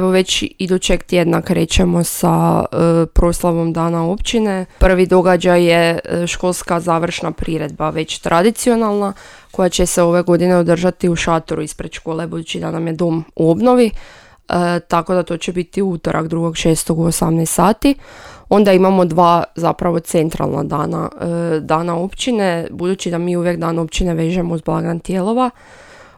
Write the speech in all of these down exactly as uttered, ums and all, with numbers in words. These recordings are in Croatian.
Evo već idućeg tjedna krećemo sa e, proslavom Dana općine. Prvi događaj je školska završna priredba, već tradicionalna, koja će se ove godine održati u šatoru ispred škole, budući da nam je dom u obnovi. E, tako da to će biti utorak drugog šestog u osamnaest sati. Onda imamo dva zapravo centralna dana, e, dana općine, budući da mi uvijek dan općine vežemo uz blagdan Tijelova.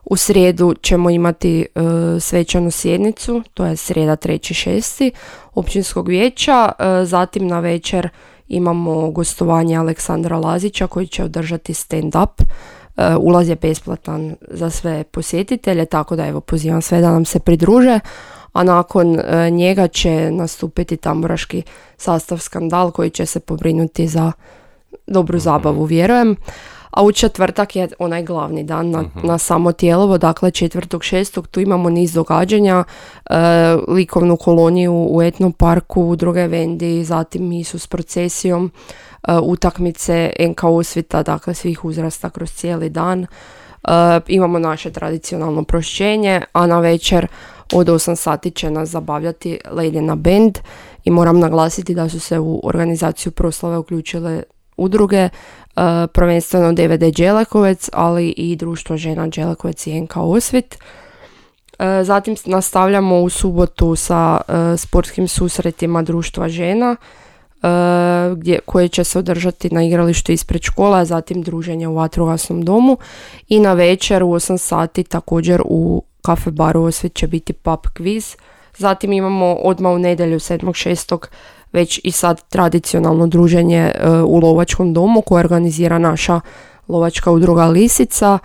U srijedu ćemo imati e, svečanu sjednicu, to je srijeda treći šesti općinskog vijeća. E, zatim na večer imamo gostovanje Aleksandra Lazića koji će održati stand-up. E, ulaz je besplatan za sve posjetitelje, tako da evo pozivam sve da nam se pridruže. A nakon e, njega će nastupiti tamburaški sastav Skandal koji će se pobrinuti za dobru zabavu, vjerujem. A u četvrtak je onaj glavni dan na, uh-huh. na samo Tijelovo, dakle četvrtog šestog tu imamo niz događanja, e, likovnu koloniju u Etno parku, druge vendi, zatim misu s procesijom, e, utakmice en ka Osvita, dakle svih uzrasta kroz cijeli dan. E, imamo naše tradicionalno prošćenje, a na večer od osam sati će nas zabavljati Ledjena band i moram naglasiti da su se u organizaciju proslave uključile udruge, uh, prvenstveno D V D Đelekovec, ali i Društvo žena Đelekovec i en ka Osvit. Uh, zatim nastavljamo u subotu sa uh, sportskim susretima Društva žena, uh, gdje, koje će se održati na igralištu ispred škola, a zatim druženje u vatrogasnom domu. I na večer u osam sati također u kafe baru Osvit će biti pub quiz. Zatim imamo odmah u nedjelju sedmog šestog već i sad tradicionalno druženje uh, u lovačkom domu koje organizira naša lovačka udruga Lisica.